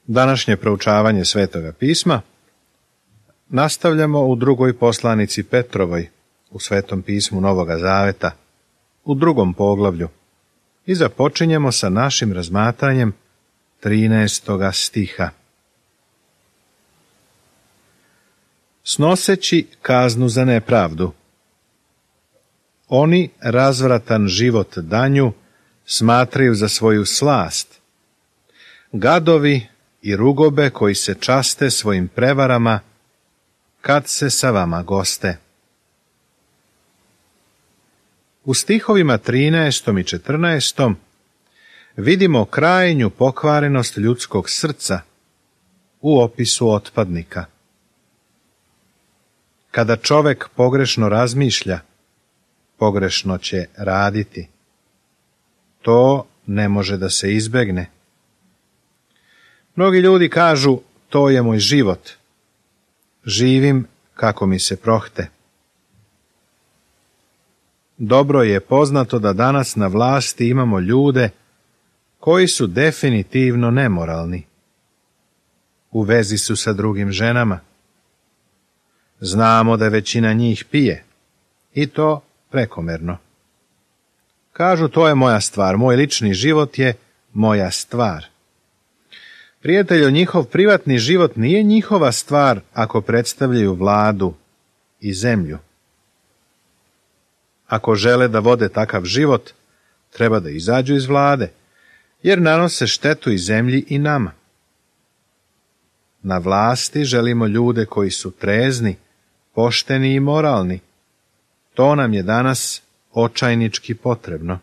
Današnje proučavanje Svetoga pisma nastavljamo u drugoj poslanici Petrovoj u Svetom pismu Novoga Zaveta, u 2. poglavlju, i započinjemo sa našim razmatranjem 13. stiha. Snoseći kaznu za nepravdu. Oni razvratan život danju smatraju za svoju slast. Gadovi i rugobe koji se časte svojim prevarama kad se sa vama goste. U stihovima 13. i 14. vidimo krajnju pokvarenost ljudskog srca u opisu otpadnika. Kada čovek pogrešno razmišlja, pogrešno će raditi. To ne može da se izbegne. Mnogi ljudi kažu, to je moj život. Živim kako mi se prohte. Dobro je poznato da danas na vlasti imamo ljude koji su definitivno nemoralni. U vezi su sa drugim ženama. Znamo da većina njih pije, i to prekomerno. Kažu, to je moja stvar, moj lični život je moja stvar. Prijatelju, njihov privatni život nije njihova stvar ako predstavljaju vladu i zemlju. Ako žele da vode takav život, treba da izađu iz vlade, jer nanose štetu i zemlji i nama. Na vlasti želimo ljude koji su trezni, pošteni i moralni. To nam je danas očajnički potrebno.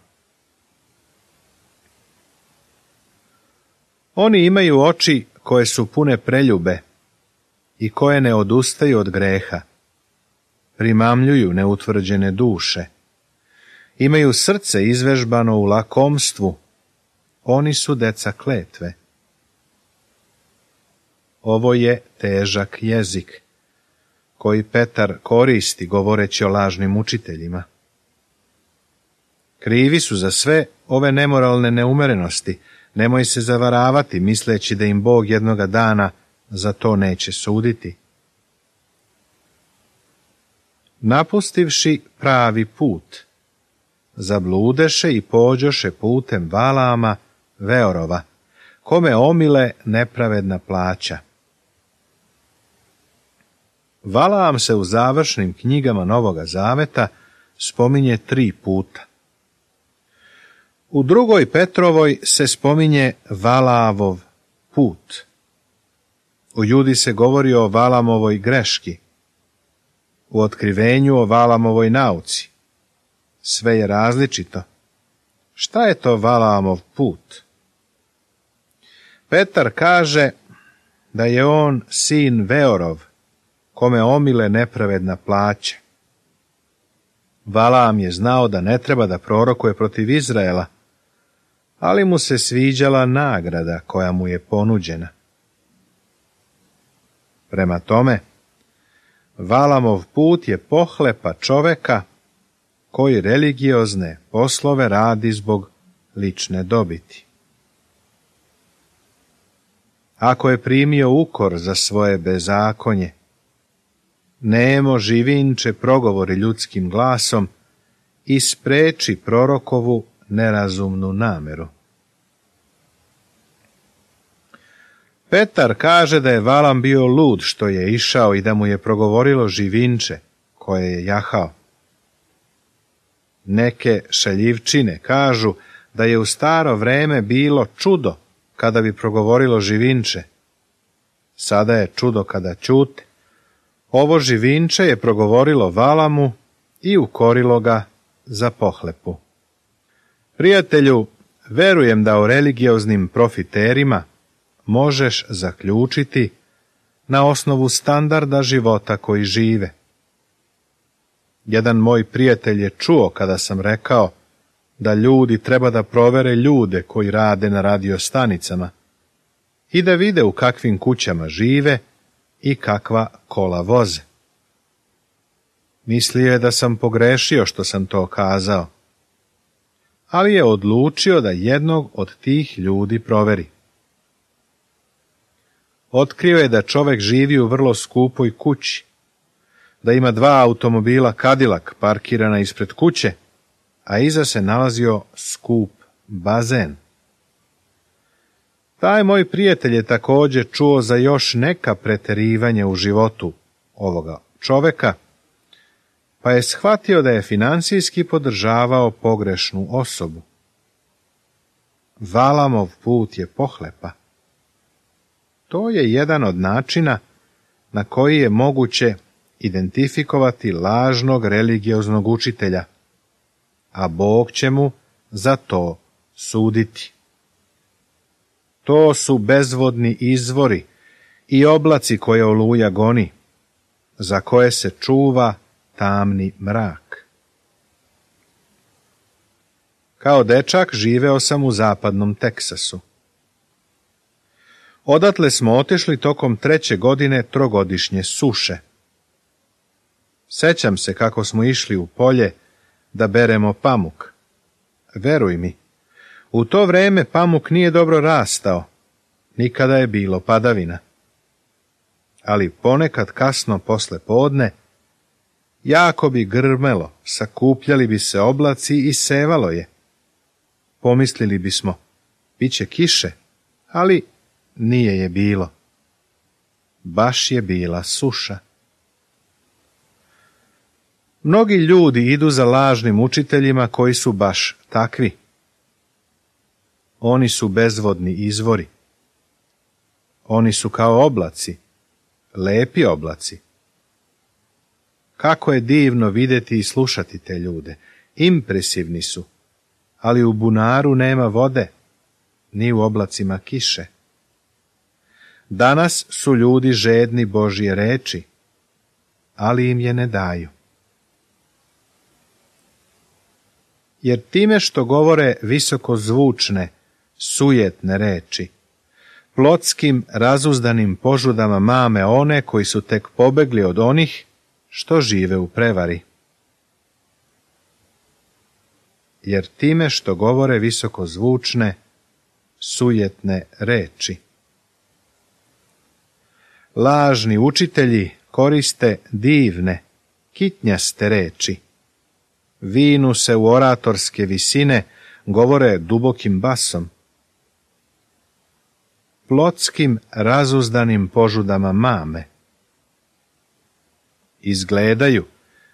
Oni imaju oči koje su pune preljube i koje ne odustaju od greha. Primamljuju neutvrđene duše. Imaju srce izvežbano u lakomstvu. Oni su deca kletve. Ovo je težak jezik koji Petar koristi govoreći o lažnim učiteljima. Krivi su za sve ove nemoralne neumerenosti. Nemoj se zavaravati misleći da im Bog jednoga dana za to neće suditi. Napustivši pravi put, zabludeše i pođoše putem Valaama, Veorova, kome omile nepravedna plaća. Valaam se u završnim knjigama Novoga Zaveta spominje 3 puta. U 2. Petrovoj se spominje Valaavov put. U Judi se govori o Valaamovoj greški. U Otkrivenju o Valaamovoj nauci. Sve je različito. Šta je to Valaamov put? Petar kaže da je on sin Veorov, kome omile nepravedna plaća. Valaam je znao da ne treba da prorokuje protiv Izraela, ali mu se sviđala nagrada koja mu je ponuđena. Prema tome, Valaamov put je pohlepa čoveka koji religiozne poslove radi zbog lične dobiti. Ako je primio ukor za svoje bezakonje, nemo živinče progovori ljudskim glasom i spreči prorokovu nerazumnu nameru. Petar kaže da je Valaam bio lud što je išao i da mu je progovorilo živinče koje je jahao. Neke šaljivčine kažu da je u staro vreme bilo čudo kada bi progovorilo živinče. Sada je čudo kada ćute. Ovo živinče je progovorilo Valaamu i ukorilo ga za pohlepu. Prijatelju, verujem da o religioznim profiterima možeš zaključiti na osnovu standarda života koji žive. Jedan moj prijatelj je čuo kada sam rekao da ljudi treba da provere ljude koji rade na radiostanicama i da vide u kakvim kućama žive i kakva kola voze. Mislio je da sam pogrešio što sam to kazao, ali je odlučio da jednog od tih ljudi proveri. Otkrio je da čovek živi u vrlo skupoj kući, da ima 2 automobila Cadillac parkirana ispred kuće, a iza se nalazio skup bazen. Taj moj prijatelj je također čuo za još neka preterivanja u životu ovoga čoveka, pa je shvatio da je financijski podržavao pogrešnu osobu. Valamov put je pohlepa. To je jedan od načina na koji je moguće identifikovati lažnog religioznog učitelja, a Bog će mu za to suditi. To su bezvodni izvori i oblaci koje oluja goni, za koje se čuva tamni mrak. Kao dečak živeo sam u zapadnom Teksasu. Odatle smo otišli tokom 3. godine trogodišnje suše. Sećam se kako smo išli u polje da beremo pamuk. Veruj mi, u to vreme pamuk nije dobro rastao, nikada je bilo padavina. Ali ponekad kasno posle podne, jako bi grmelo, sakupljali bi se oblaci i sevalo je. Pomislili bismo, bit će kiše, ali nije je bilo. Baš je bila suša. Mnogi ljudi idu za lažnim učiteljima koji su baš takvi. Oni su bezvodni izvori. Oni su kao oblaci, lepi oblaci. Kako je divno vidjeti i slušati te ljude. Impresivni su, ali u bunaru nema vode, ni u oblacima kiše. Danas su ljudi žedni Božje reči, ali im je ne daju. Jer time što govore visokozvučne, sujetne reči, plotskim razuzdanim požudama mame one koji su tek pobegli od onih što žive u prevari. Jer time što govore visokozvučne, sujetne reči. Lažni učitelji koriste divne, kitnjaste reči. Vinu se u oratorske visine, govore dubokim basom. Plotskim razuzdanim požudama mame. Izgledaju,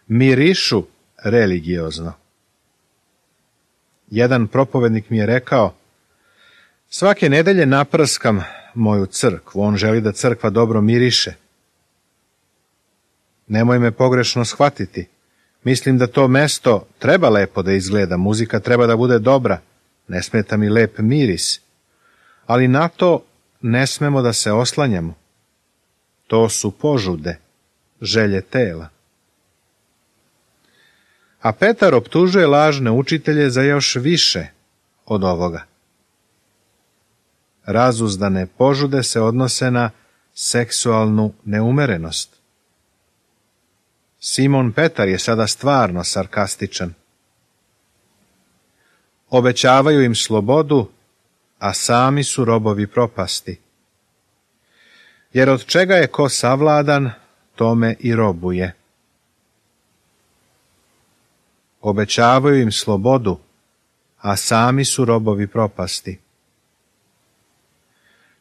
mirišu religiozno. Jedan propovednik mi je rekao, svake nedelje naprskam moju crkvu, on želi da crkva dobro miriše. Nemoj me pogrešno shvatiti. Mislim da to mesto treba lepo da izgleda, muzika treba da bude dobra, ne smeta mi lep miris, ali na to ne smemo da se oslanjamo. To su požude, želje tela. A Petar optužuje lažne učitelje za još više od ovoga. Razuzdane požude se odnose na seksualnu neumerenost. Simon Petar je sada stvarno sarkastičan. Obećavaju im slobodu, a sami su robovi propasti. Jer od čega je ko savladan, tome i robuje. Obećavaju im slobodu, a sami su robovi propasti.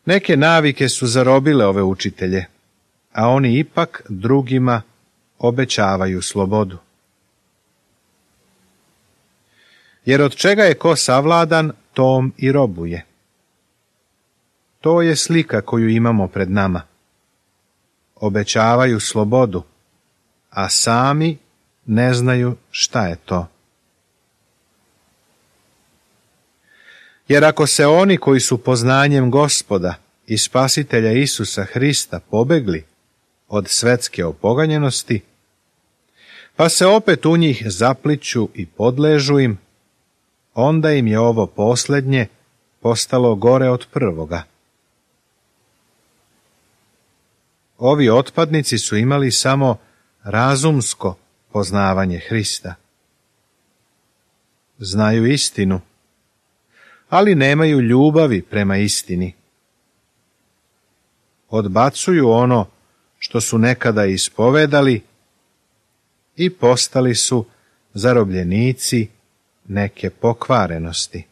Neke navike su zarobile ove učitelje, a oni ipak drugima obećavaju slobodu. Jer od čega je ko savladan, tom i robuje. To je slika koju imamo pred nama. Obećavaju slobodu, a sami ne znaju šta je to. Jer ako se oni koji su poznanjem Gospoda i Spasitelja Isusa Hrista pobegli od svetske opoganjenosti, pa se opet u njih zapliću i podležu im, onda im je ovo posljednje postalo gore od prvoga. Ovi otpadnici su imali samo razumsko poznavanje Hrista. Znaju istinu, ali nemaju ljubavi prema istini. odbacuju ono što su nekada ispovedali i postali su zarobljenici neke pokvarenosti.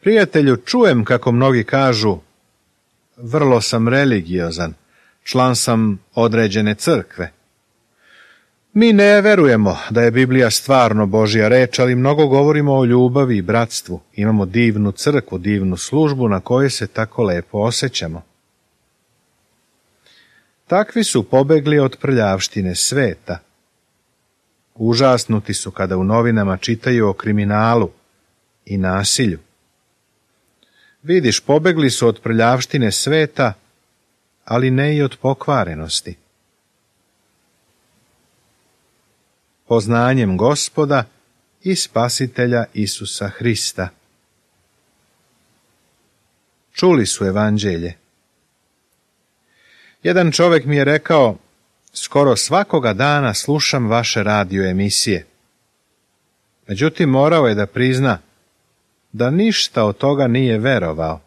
Prijatelju, čujem kako mnogi kažu, vrlo sam religiozan, član sam određene crkve. Mi ne verujemo da je Biblija stvarno Božja reč, ali mnogo govorimo o ljubavi i bratstvu. Imamo divnu crkvu, divnu službu na kojoj se tako lepo osjećamo. Takvi su pobegli od prljavštine sveta. Užasnuti su kada u novinama čitaju o kriminalu i nasilju. Vidiš, pobegli su od prljavštine sveta, ali ne i od pokvarenosti. Poznanjem Gospoda i Spasitelja Isusa Hrista. Čuli su evanđelje. Jedan čovjek mi je rekao, skoro svakoga dana slušam vaše radio emisije. Međutim, morao je da prizna da ništa od toga nije verovao.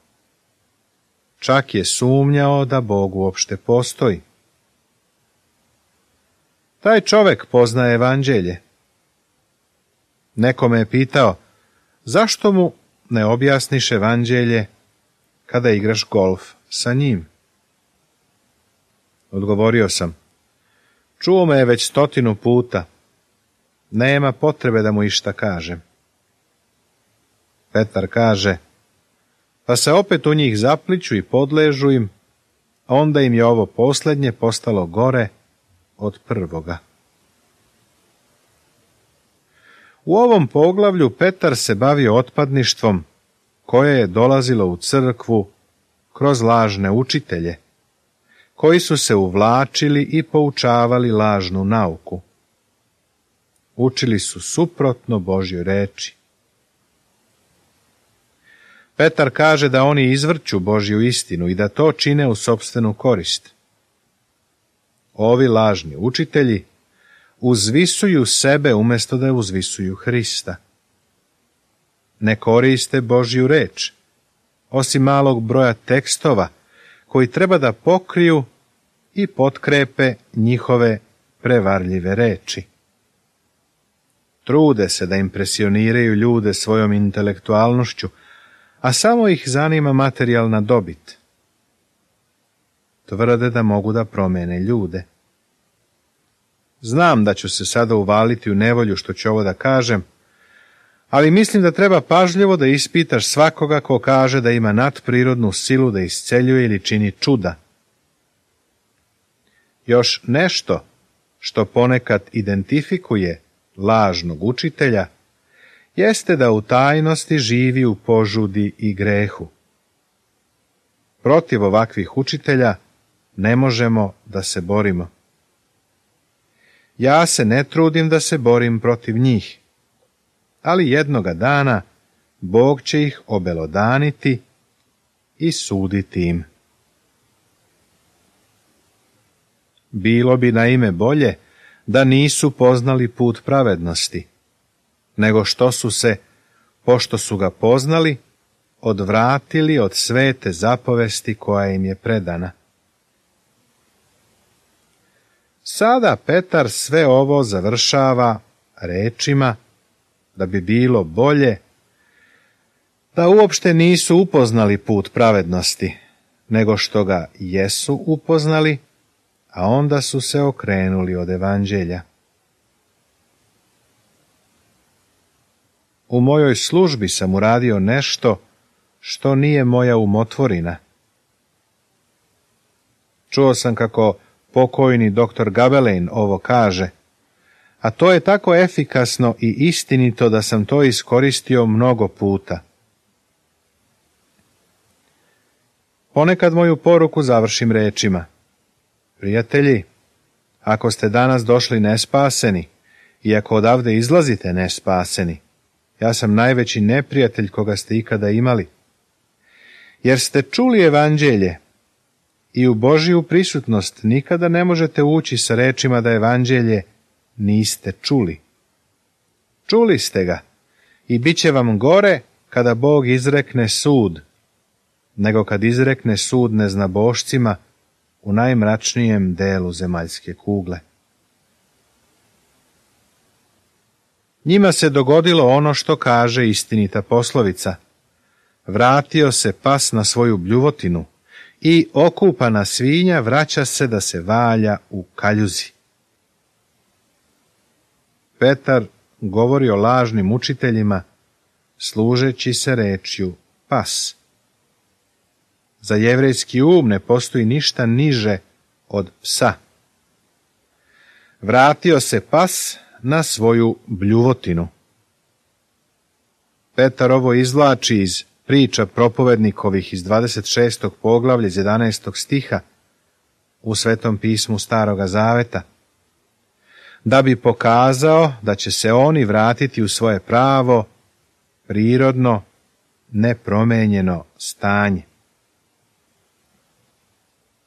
Čak je sumnjao da Bog uopšte postoji. Taj čovjek poznaje evanđelje. Neko me je pitao, zašto mu ne objasniš evanđelje kada igraš golf sa njim? Odgovorio sam, čuo me je već 100 puta, nema potrebe da mu išta kažem. Petar kaže, pa se opet u njih zapliću i podležu im, a onda im je ovo posljednje postalo gore od prvoga. U ovom poglavlju Petar se bavio otpadništvom koje je dolazilo u crkvu kroz lažne učitelje, koji su se uvlačili i poučavali lažnu nauku. Učili su suprotno Božjoj reči. Petar kaže da oni izvrću Božju istinu i da to čine u sopstvenu korist. Ovi lažni učitelji uzvisuju sebe umjesto da uzvisuju Hrista. Ne koriste Božju reč, osim malog broja tekstova koji treba da pokriju i potkrepe njihove prevarljive reči. Trude se da impresioniraju ljude svojom intelektualnošću, a samo ih zanima materijalna dobit. Tvrde da mogu da promene ljude. Znam da ću se sada uvaliti u nevolju što ću ovo da kažem, ali mislim da treba pažljivo da ispitaš svakoga ko kaže da ima nadprirodnu silu da isceljuje ili čini čuda. Još nešto što ponekad identifikuje lažnog učitelja jeste da u tajnosti živi u požudi i grehu. Protiv ovakvih učitelja ne možemo da se borimo. Ja se ne trudim da se borim protiv njih, ali jednoga dana Bog će ih obelodaniti i suditi im. Bilo bi naime bolje da nisu poznali put pravednosti, nego što su se, pošto su ga poznali, odvratili od svete zapovesti koja im je predana. Sada Petar sve ovo završava rečima da bi bilo bolje da uopšte nisu upoznali put pravednosti, nego što ga jesu upoznali, a onda su se okrenuli od evanđelja. U mojoj službi sam uradio nešto što nije moja umotvorina. Čuo sam kako pokojni doktor Gabelein ovo kaže, a to je tako efikasno i istinito da sam to iskoristio mnogo puta. Ponekad moju poruku završim rečima. Prijatelji, ako ste danas došli nespaseni i ako odavde izlazite nespaseni, ja sam najveći neprijatelj koga ste ikada imali. Jer ste čuli evanđelje i u Božju prisutnost nikada ne možete ući sa rečima da evanđelje niste čuli. Čuli ste ga i bit će vam gore kada Bog izrekne sud, nego kad izrekne sud neznabošcima u najmračnijem delu zemaljske kugle. Njima se dogodilo ono što kaže istinita poslovica. Vratio se pas na svoju bljuvotinu i okupana svinja vraća se da se valja u kaljuzi. Petar govori o lažnim učiteljima, služeći se rečju pas. Za jevrejski ne postoji ništa niže od psa. Vratio se pas na svoju bljuvotinu. Petar ovo izvlači iz priča propovednikovih iz 26. poglavlja iz 11. stiha u Svetom pismu Staroga Zaveta, da bi pokazao da će se oni vratiti u svoje pravo, prirodno, nepromenjeno stanje.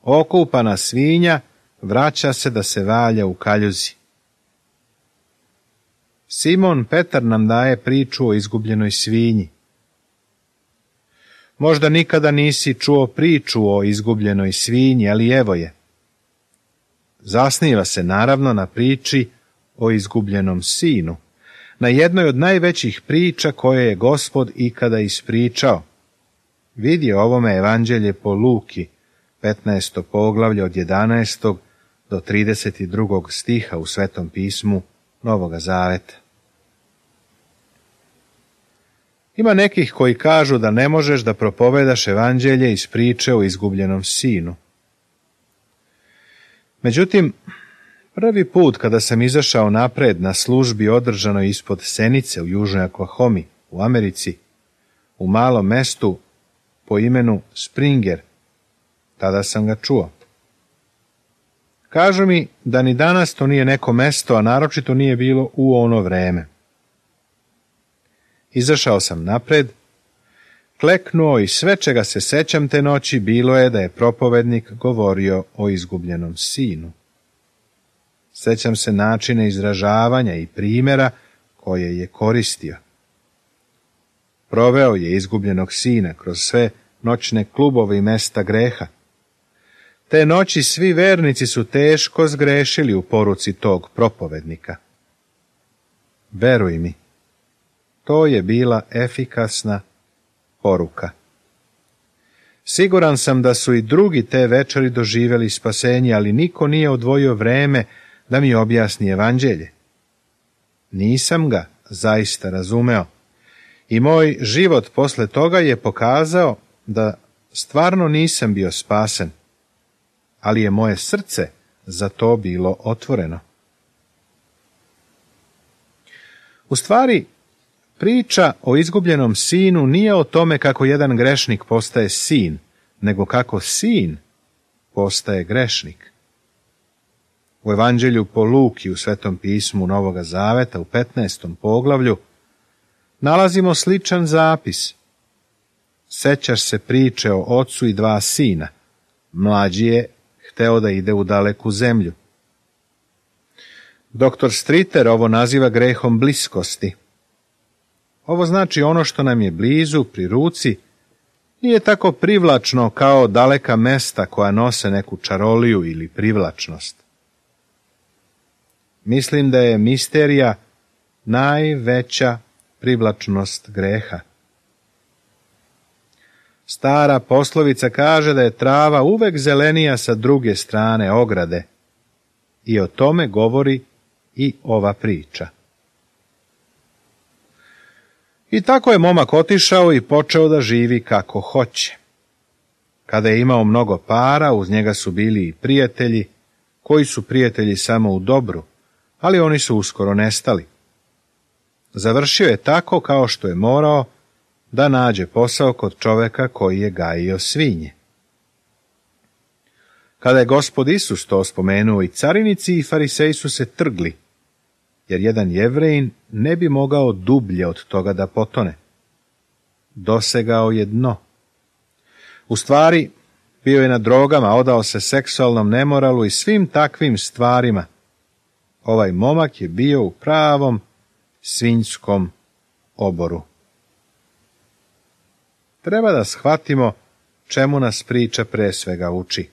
Okupana svinja vraća se da se valja u kaljuzi. Simon Petar nam daje priču o izgubljenoj svinji. Možda nikada nisi čuo priču o izgubljenoj svinji, ali evo je. Zasniva se naravno na priči o izgubljenom sinu, na jednoj od najvećih priča koje je Gospod ikada ispričao. Vidi ovome evanđelje po Luki, 15. poglavlje od 11. do 32. stiha u Svetom pismu Novoga Zaveta. Ima nekih koji kažu da ne možeš da propovedaš evanđelje iz priče o izgubljenom sinu. Međutim, prvi put kada sam izašao napred na službi održanoj ispod Senice u južnoj Oklahomi, u Americi, u malom mestu po imenu Springer, tada sam ga čuo. Kažu mi da ni danas to nije neko mesto, a naročito nije bilo u ono vreme. Izašao sam napred, kleknuo i sve čega se sećam te noći bilo je da je propovednik govorio o izgubljenom sinu. Sećam se načina izražavanja i primjera koje je koristio. Proveo je izgubljenog sina kroz sve noćne klubove i mesta greha. Te noći svi vernici su teško zgrešili u poruci tog propovednika. Veruj mi, to je bila efikasna poruka. Siguran sam da su i drugi te večeri doživjeli spasenje, ali niko nije odvojio vreme da mi objasni evanđelje. Nisam ga zaista razumeo i moj život posle toga je pokazao da stvarno nisam bio spasen, ali je moje srce za to bilo otvoreno. U stvari, priča o izgubljenom sinu nije o tome kako jedan grešnik postaje sin, nego kako sin postaje grešnik. U evanđelju po Luki u Svetom pismu Novoga Zaveta u 15. poglavlju nalazimo sličan zapis. Sećaš se priče o ocu i dva sina. Mlađi je hteo da ide u daleku zemlju. Doktor Streeter ovo naziva grehom bliskosti. Ovo znači ono što nam je blizu, pri ruci, nije tako privlačno kao daleka mesta koja nose neku čaroliju ili privlačnost. Mislim da je misterija najveća privlačnost greha. Stara poslovica kaže da je trava uvek zelenija sa druge strane ograde i o tome govori i ova priča. I tako je momak otišao i počeo da živi kako hoće. Kada je imao mnogo para, uz njega su bili i prijatelji, koji su prijatelji samo u dobru, ali oni su uskoro nestali. Završio je tako kao što je morao da nađe posao kod čoveka koji je gajio svinje. Kada je Gospod Isus to spomenuo, i carinici i fariseji su se trgli, jer jedan Jevrejin ne bi mogao dublje od toga da potone. Dosegao je dno. U stvari, bio je na drogama, odao se seksualnom nemoralu i svim takvim stvarima. Ovaj momak je bio u pravom svinjskom oboru. Treba da shvatimo čemu nas priča pre svega uči.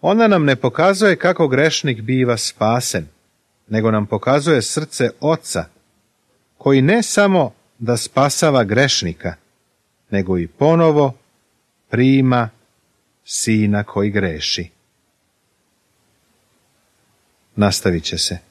Ona nam ne pokazuje kako grešnik biva spasen, nego nam pokazuje srce Oca, koji ne samo da spasava grešnika, nego i ponovo prima sina koji greši. Nastavit će se.